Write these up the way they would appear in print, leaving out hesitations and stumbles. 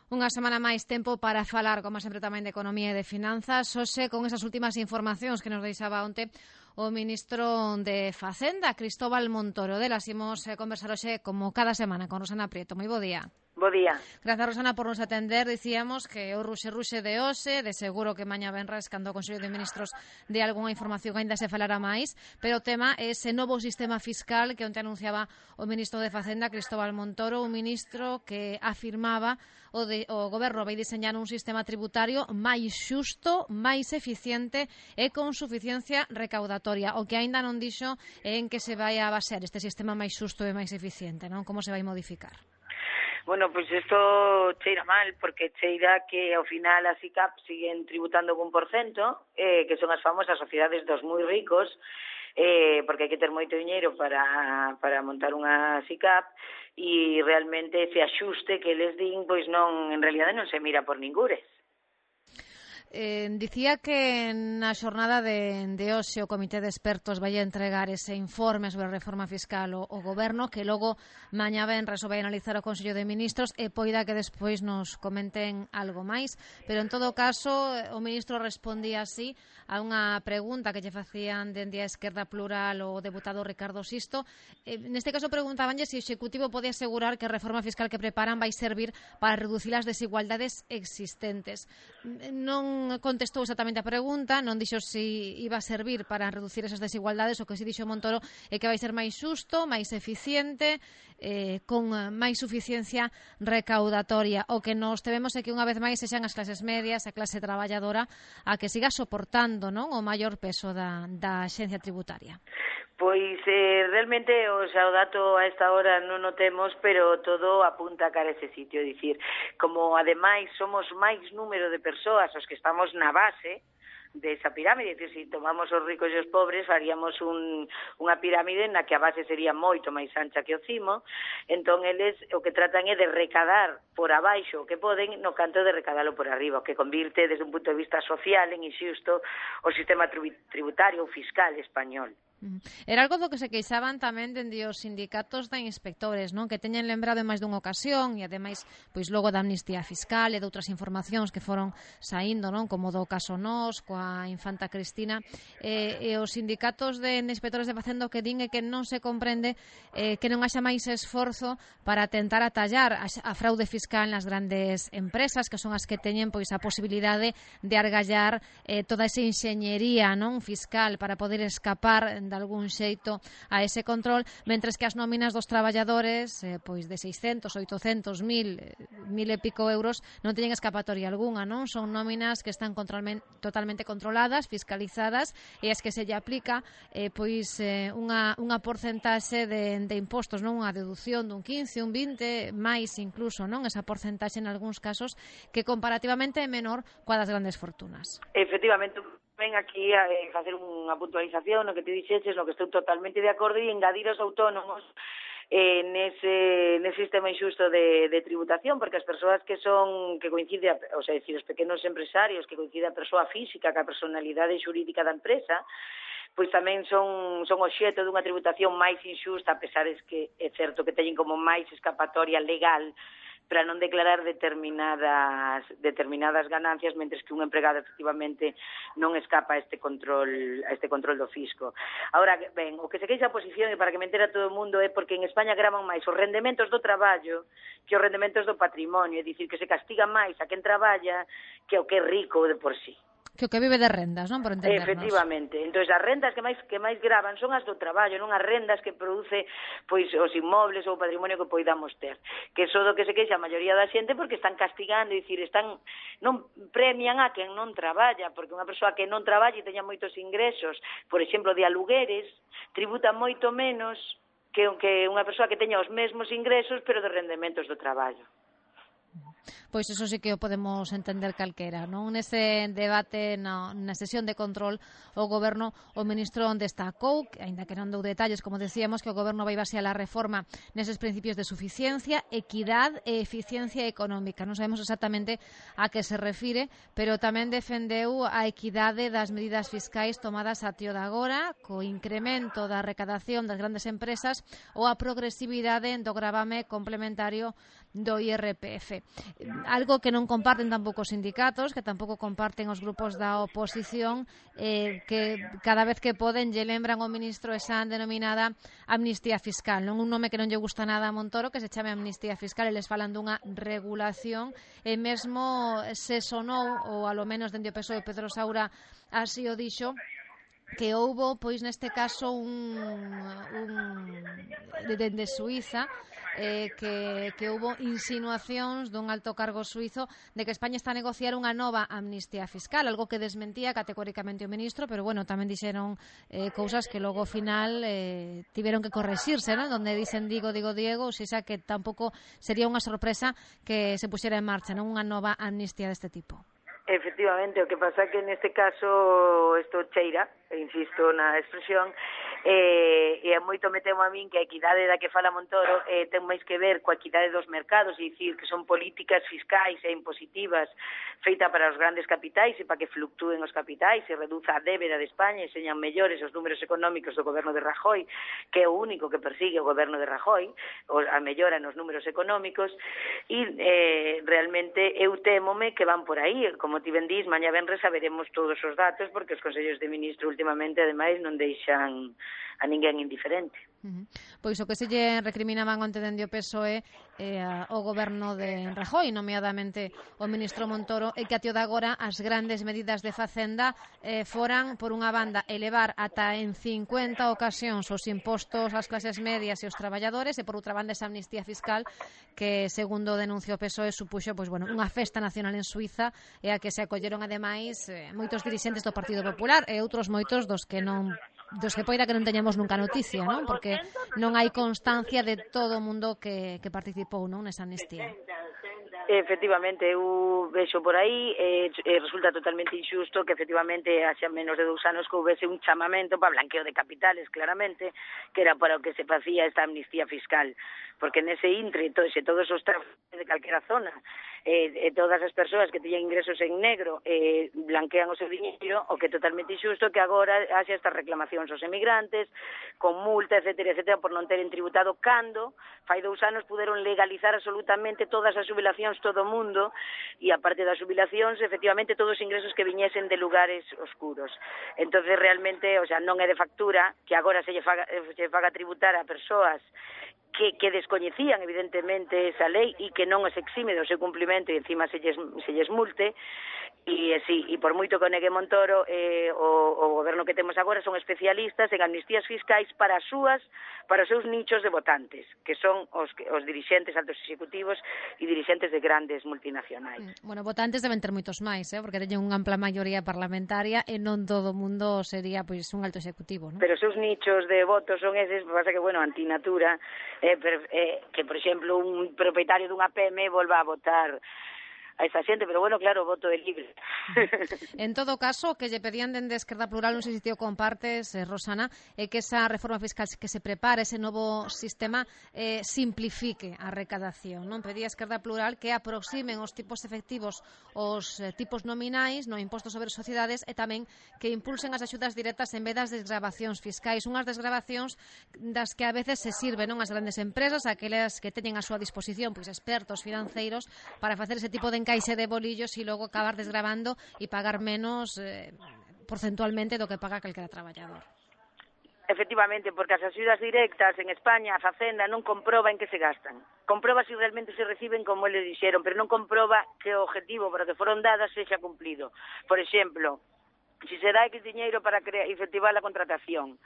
Unha semana máis tempo para falar, como sempre, tamén de economía e de finanzas. Hoxe, con esas últimas informacións que nos deixaba onte o ministro de Facenda, Cristóbal Montoro. Delas imos conversar hoxe, como cada semana, con Rosana Prieto. Moi bo día. Bo día. Grazas, Rosana, por nos atender. Dicíamos que o ruxe de hoxe, de seguro que mañá venres cando o Consello de Ministros de algunha información aínda se falará máis, pero o tema é ese novo sistema fiscal que onte anunciaba o ministro de Facenda, Cristóbal Montoro, un ministro que afirmaba o goberno vai diseñar un sistema tributario máis xusto, máis eficiente e con suficiencia recaudatoria. O que aínda non dixo é en que se vai a basear este sistema máis xusto e máis eficiente, non? Como se vai modificar? Bueno, pues isto cheira mal, porque cheira que ao final as ICAP siguen tributando un 1%, que son as famosas sociedades dos moi ricos, porque hai que ter moito diñeiro para montar unha SICAP, e realmente ese axuste que les din, pois non, en realidade non se mira por ningures. Dicía que na xornada de hoxe o Comité de Expertos vai a entregar ese informe sobre a reforma fiscal ao Goberno, que logo mañá venres o vai analizar o Consello de Ministros e poida que despois nos comenten algo máis, pero en todo caso o ministro respondía así a unha pregunta que lle facían dende a Esquerda Plural o deputado Ricardo Sisto. Neste caso preguntabanlle se o Executivo pode asegurar que a reforma fiscal que preparan vai servir para reducir as desigualdades existentes. Non contestou exactamente a pregunta, non dixo se iba a servir para reducir esas desigualdades. O que si dixo Montoro é que vai ser máis xusto, máis eficiente, con máis suficiencia recaudatoria. O que nos tememos é que unha vez máis sexan as clases medias, a clase traballadora, a que siga soportando, non, o maior peso da axencia tributaria. Pois realmente o dato a esta hora non o temos, pero todo apunta cara a ese sitio. É dicir, como ademais somos máis número de persoas os que estamos na base desa pirámide, é dicir, se tomamos os ricos e os pobres, faríamos unha pirámide na que a base sería moito máis ancha que o cimo. Entón, eles o que tratan é de recadar por abaixo o que poden, no canto de recadalo por arriba, o que convirte, desde un punto de vista social, en inxusto o sistema tributario ou fiscal español. Era algo do que se queixaban tamén dende os sindicatos de inspectores, non? Que teñen lembrado en máis dunha ocasión, e ademais pois logo da amnistía fiscal e de outras informacións que foron saindo, non? Como do caso Nós, coa infanta Cristina, e os sindicatos de inspectores de Facenda que din é que non se comprende que non haxa máis esforzo para tentar atallar a fraude fiscal nas grandes empresas, que son as que teñen pois a posibilidade de argallar toda esa enxeñería, non, fiscal, para poder escapar de algún xeito a ese control, mentres que as nóminas dos traballadores pois de 600, 800, 1000 e pico euros non teñen escapatoria algunha, non? Son nóminas que están totalmente controladas, fiscalizadas, e as que se lle aplica pois unha porcentaxe de impostos, non? Unha deducción dun 15, un 20, máis incluso, non? Esa porcentaxe en algúns casos que comparativamente é menor coa das grandes fortunas. Efectivamente, ven aquí a facer unha puntualización no que te dixeches, no que estou totalmente de acordo, e engadir os autónomos nese sistema injusto de tributación, porque as persoas que coincide, o sea, decir, os pequenos empresarios que coincide a persoa física ca personalidade xurídica da empresa, pois tamén son obxeto dunha tributación máis injusta, a pesar de que é certo que teñen como máis escapatoria legal para non declarar determinadas ganancias, mentres que un empregado efectivamente non escapa a este control do fisco. Ahora, ben, o que se queixa a oposición, e para que me entera todo o mundo, é porque en España gravan máis os rendementos do traballo que os rendementos do patrimonio, é dicir, que se castiga máis a quen traballa que o que é rico de por sí. Que o que vive de rendas, non? Por entendernos. Efectivamente. Entón, as rendas que máis gravan son as do traballo, non as rendas que produce pois os inmobles ou o patrimonio que poidamos ter. Que é do que se queixa a maioría da xente, porque están castigando, é dicir, non premian a quen non traballa, porque unha persoa que non traballa e teña moitos ingresos, por exemplo, de alugueres, tributa moito menos que unha persoa que teña os mesmos ingresos, pero de rendementos do traballo. Pois iso sí que o podemos entender calquera, non? Nese debate, na sesión de control, o Goberno, o ministro destacou, aínda que non dou detalles, como decíamos, que o Goberno vai basear a reforma neses principios de suficiencia, equidad e eficiencia económica. Non sabemos exactamente a que se refire, pero tamén defendeu a equidade das medidas fiscais tomadas a tío de agora, co incremento da recadación das grandes empresas ou a progresividade do gravame complementario do IRPF. Algo que non comparten tampouco os sindicatos, que tampouco comparten os grupos da oposición, que cada vez que poden lle lembran ao ministro esa denominada amnistía fiscal, non un nome que non lle gusta nada a Montoro, que se chame amnistía fiscal, e les falan dunha regulación, e mesmo se sonou, ou alo menos dende o PSOE Pedro Saura así o dixo, que houbo, pois neste caso, dende Suiza, que houbo insinuacións dun alto cargo suizo de que España está a negociar unha nova amnistía fiscal, algo que desmentía categóricamente o ministro, pero bueno, tamén dixeron cousas que logo ao final tiveron que correxirse, ¿no? Donde dicen digo Diego, ou xa que tampouco sería unha sorpresa que se puxera en marcha, non unha nova amnistía deste tipo. Efectivamente, o que pasa é que neste caso isto cheira, insisto na expresión, e moito me temo a min que a equidade da que fala Montoro ten máis que ver coa equidade dos mercados, e dicir que son políticas fiscais e impositivas feita para os grandes capitais e para que fluctúen os capitais e reduza a débeda de España e señan mellores os números económicos do goberno de Rajoy, que é o único que persigue o goberno de Rajoy, a mellora nos números económicos, e realmente eu témome que van por aí, como ti ben dís, mañá venres saberemos todos os datos, porque os consellos de ministro últimamente, ademais, non deixan a ninguén indiferente. Pois o que se lle recriminaban onte dende o PSOE ao goberno de Rajoy, nomeadamente o ministro Montoro, é que até o de agora as grandes medidas de Facenda foran, por unha banda, elevar ata en 50 ocasións os impostos ás clases medias e os traballadores, e por outra banda esa amnistía fiscal que, segundo denuncia o PSOE, supuxo unha festa nacional en Suiza, e a que se acolleron ademais moitos dirixentes do Partido Popular e outros moitos dos que poida que non teñamos nunca noticia, non? Porque non hai constancia de todo o mundo que participou, non, nesa amnistía. Efectivamente, eu vexo por aí, resulta totalmente injusto que efectivamente haxa menos de 2 anos que houvese un chamamento para blanqueo de capitales, claramente, que era para o que se facía esta amnistía fiscal, porque nese intre, todos os traficantes de calquera zona, todas as persoas que teñen ingresos en negro blanquean o seu diñeiro, o que é totalmente injusto que agora haxa estas reclamacións aos emigrantes, con multa, etcétera, por non teren tributado, cando fai 2 anos puderon legalizar absolutamente todas as xubilacións todo o mundo, e aparte das xubilacións, efectivamente, todos os ingresos que viñesen de lugares oscuros. Entonces, realmente, non é de factura que agora se lle faga tributar a persoas que descoñecían, evidentemente, esa lei e que non os exime do seu cumplimento e encima se lles multe. E por moito que o negue Montoro, o goberno que temos agora son especialistas en amnistías fiscais para os seus nichos de votantes, que son os dirixentes altos executivos e dirixentes de grandes multinacionais. Bueno, votantes deben ter moitos máis, porque teñen unha ampla maioría parlamentaria e non todo o mundo sería pois un alto executivo, non? Pero os seus nichos de votos son eses, pasa que, antinatura, que, por exemplo, un propietario dunha PM volva a votar a esa xente, pero claro, o voto é libre. En todo caso, que lle pedían dende Esquerda Plural, non sei se ti o compartes, Rosana, é que esa reforma fiscal que se prepare, ese novo sistema, simplifique a recadación, non? Pedía Esquerda Plural que aproximen os tipos efectivos os tipos nominais no imposto sobre sociedades e tamén que impulsen as axudas directas en vez das desgravacións fiscais, unhas desgravacións das que a veces se sirven, non, as grandes empresas, aquelas que teñen a súa disposición pois expertos financeiros para facer ese tipo de encaixe de bolillos e logo acabar desgravando e pagar menos porcentualmente do que paga calquera traballador. Efectivamente, porque as axudas directas en España, a Facenda non comproba en que se gastan. Comproba se realmente se reciben como eles dixeron, pero non comproba que o objetivo para que foron dadas sexa cumplido. Por exemplo, si se dá X diñeiro para efectivar a contratación,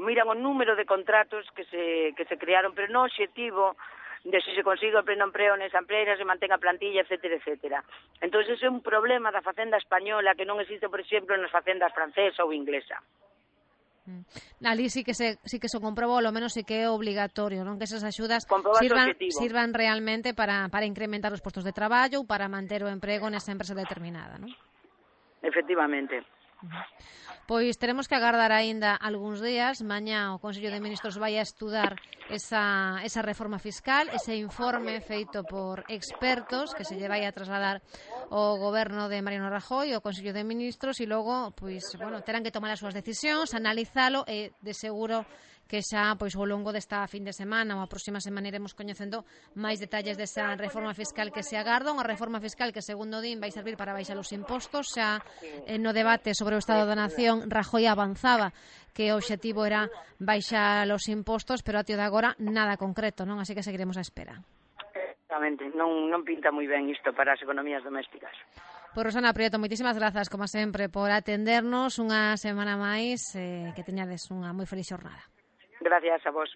miran o número de contratos que se crearon, pero non o objetivo de se consigue o pleno empreo nesa empresa, se mantén a plantilla, etcétera. Entón, ese é un problema da facenda española que non existe, por exemplo, nas facendas francesa ou inglesa. Ali sí que se comprobou, ao menos sí que é obligatorio, non, que esas axudas sirvan realmente para incrementar os postos de traballo ou para manter o emprego nesa empresa determinada, non? Efectivamente. Pois teremos que agardar aínda algúns días. Mañá o Consello de Ministros vai a estudar esa reforma fiscal, ese informe feito por expertos que se lle vai a trasladar ao goberno de Mariano Rajoy, ao Consello de Ministros, e logo, terán que tomar as súas decisións, analizalo e de seguro que xa pois ao longo desta fin de semana ou a próxima semana iremos coñecendo máis detalles desa reforma fiscal que se agarda, unha reforma fiscal que segundo din vai servir para baixar os impostos. Xa no debate sobre o Estado da Nación Rajoy avanzaba que o obxectivo era baixar os impostos, pero a tío de agora nada concreto, non? Así que seguiremos á espera. Exactamente, non pinta moi ben isto para as economías domésticas. Pois Rosana Prieto, moitísimas grazas, como sempre, por atendernos unha semana máis, que teñades unha moi feliz xornada. Gracias a vos.